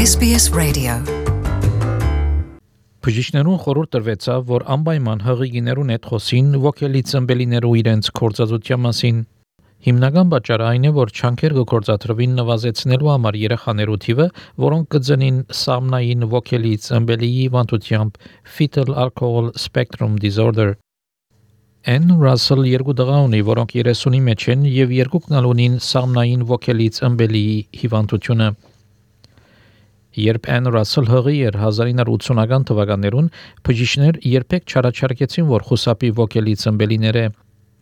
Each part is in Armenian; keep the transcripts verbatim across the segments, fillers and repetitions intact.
S B S Radio. Բժիշկներուն խորհուրդ տրվեցավ, որ անպայման հղիիներուն հետ խոսին ոգելի ծնբելիներու իրենց կորցածության մասին։ Հիմնական պատճառը այն է, որ չանքեր գործադրվին նվազեցնելու համար երեխաներու թիվը, որոնք կծնին սամնային ոգելի ծնբելիի հիվանդությամբ fetal alcohol spectrum disorder։ Ann Russell երկու տղա ունի, որոնք երեսունի մեջ են եւ երկուքն ունին սամնային ոգելի ծնբելիի հիվանդությունը։ Երբ Ann Russell հղի էր հազար ութսունական թվականներուն, բժիշկներ երբեք չառաջարկեցին, որ խուսափի ոգելի ծնբելիները։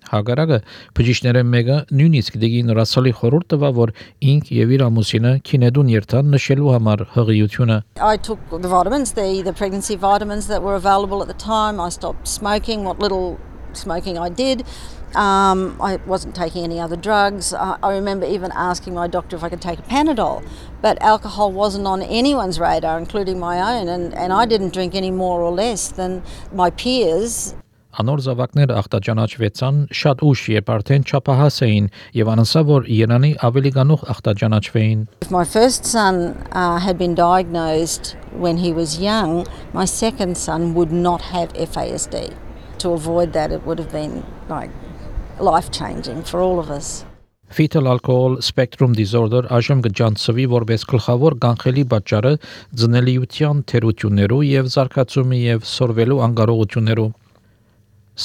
Հակառակը, բժիշկները մեկը նույնիսկ դեգին Russell-ի խորհուրդ տվավ, որ ինք եւ իր ամուսինը քինեդուն երթան նշելու համար հղիությունը։ I took the vitamins, the, the pregnancy vitamins that were available at the time. I stopped smoking, what little smoking I did. Um, I wasn't taking any other drugs. I, I remember even asking my doctor if I could take a Panadol, but alcohol wasn't on anyone's radar, including my own, and, and I didn't drink any more or less than my peers. Անոր զավակները ախտաճանաչվեցան շատ ուշ, երբ արդեն չափահաս էին եւ անասա որ Իրանի ավելի գանուխ ախտաճանաչվեին։ If my first son uh, had been diagnosed when he was young, my second son would not have F A S D. To avoid that, it would have been like life-changing for all of us. Fetal alcohol spectrum disorder այժմ կջանցվի որպես գլխավոր կանխելի պատճառը ձնելիության թերություններու եւ զարգացումի եւ սորվելու անկարողություններու։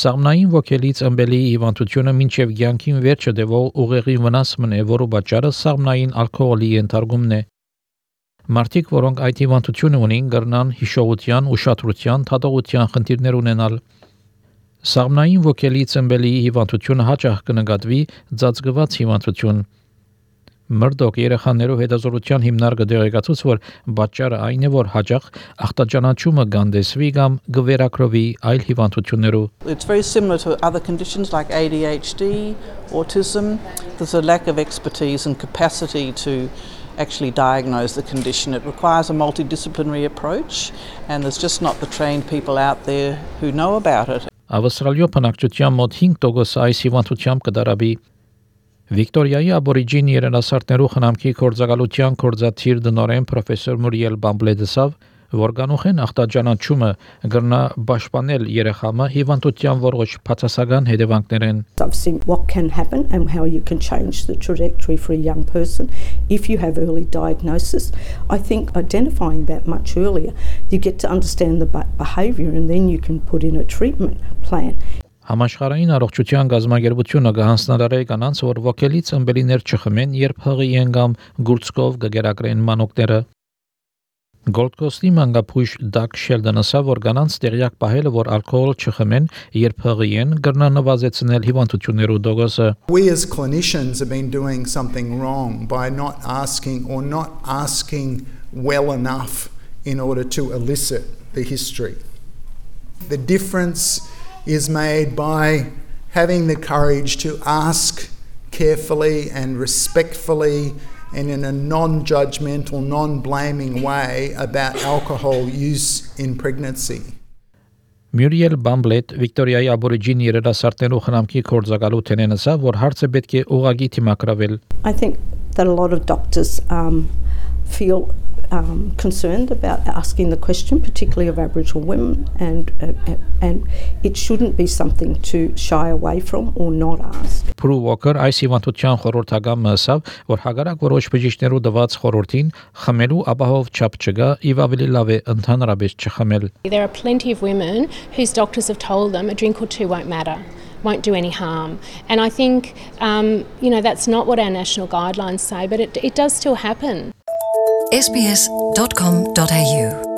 Սամնային ոգելի ծնբելի հիվանդությունը մինչև կյանքին վերջը դեվող ուղեղի վնասումն է, որը պատճառը սամնային ալկոհոլի ենթարկումն է։ Մարդիկ, որոնք այդ հիվանդությունը ունին, կրնան հիշողության, ուշադրության, թատողության խնդիրներ ունենալ։ Սամնային ոգելի ծնբելի հիվանդությունը հաճախ կնկատվի ծածկված հիվանդություն։ Մրդոկ երեխաներու հետազոտության հիմնարկը դեղեկացուց, որ պատճառը այն է, որ հաճախ ախտաճանաչումը գանդեսվի կամ գվերակրվի այլ հիվանդություններու։ It's very similar to other conditions like A D H D, autism. There's a lack of expertise and capacity to actually diagnose the condition. It requires a multidisciplinary approach, and there's just not the trained people out there who know about it. Ավստրալիո բնակչության մոտ հինգ տոկոս այս հիվանդությամբ կդարաբի։ Վիկտորիայի աբորիջին երիտասարդներու խնամքի կորձակալության կորձաթիր դնորեն պրոֆեսոր Մուրիել Բամբլեդեսավ, որ կանուխեն ախտաճանաչումը գրնա պաշտպանել երեխամը հիվանդության որոշ բացասական հետևանքներ են։ I've seen what can happen and how you can change the trajectory for a young person if you have early diagnosis. I think identifying that much earlier, you get to understand the behavior and then you can put in a treatment plan. Համաշխարհային առողջության գազագերբությունը կհանձնարարի կանանց, որ ոգելի ծնբելիներ չխմեն, երբ հղի են կամ գուրծքով կգերակրեն մանոկները։ Gold Coast-ի մանկապույս Դակ Շելդոնը ասա, որ կանանց տեղյակ պահելը, որ ալկոհոլ չխմեն, երբ հղի են, կրնա նվազեցնել հիվանդություններու դոգոսը։ We as clinicians have been doing something wrong by not asking or not asking well enough in order to elicit the history. The difference is made by having the courage to ask carefully and respectfully and in a non-judgmental, non-blaming way about alcohol use in pregnancy. Մուրիել Բամբլետ Վիկտորիայի աբորիջին երիտասարդներու խնամքի կորձակալութենեն ասա, որ հարցը պետք է ուղղակի թիմակրավել։ I think that a lot of doctors um, feel Um, concerned about asking the question, particularly of Aboriginal women, and uh, and it shouldn't be something to shy away from or not ask. Prue Walker այս հիվանդության խորհրդական մասավ, որ հագարակ որոշ բժիշկներու դված խորհրդին խմելու ապահով չափ չկա, եւ ավելի լավ է ընդհանրապես չխմել։ There are plenty of women whose doctors have told them a drink or two won't matter, won't do any harm, and I think um, you know that's not what our national guidelines say, but it it does still happen. S B S dot com dot A U